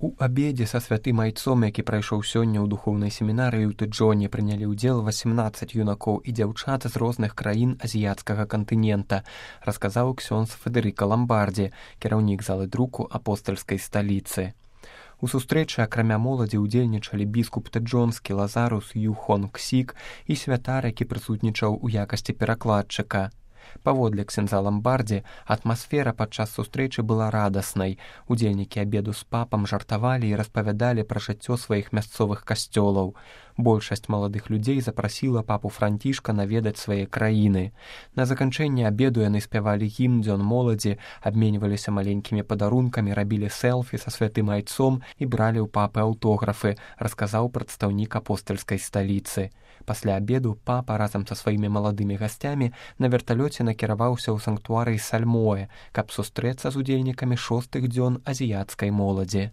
У абедзе са святым айцом, які прайшоў сёння ў духоўнай семінарыі ў Тэджоне, прынялі ўдзел 18 юнакоў і дзяўчат з розных краін азіяцкага кантынента, расказаў ксёндз Федэрыка Ламбардзі, кіраўнік залы друку апостальскай сталіцы. У сустрэчы акрамя моладзі ўдзельнічалі біскуп тэджонскі Лазарус Юхон Ксік і святар, які прысутнічаў у якасці перакладчыка. Паводле ксяндза Ламбардзі, атмасфера падчас сустрэчы была радаснай. Удзельнікі абеду з папам жартавалі і распавядалі пра жыццё сваіх мясцовых касцёлаў. Большасць маладых людзей запрасіла папу Францішка наведаць свае краіны. На заканчэнне абеду яны спявалі гімн дзён моладзі, абменьваліся маленькімі падарункамі, рабілі селфі са святым айцом і бралі ў папы аўтографы, расказаў прадстаўнік апостальскай сталіцы. Пасля абеду папа разам са сваімі маладымі гасцямі на верталёце накіраваўся ў санктуарый Сальмоэ, каб сустрэцца з удзельнікамі 6-х дзён азіяцкай моладзі.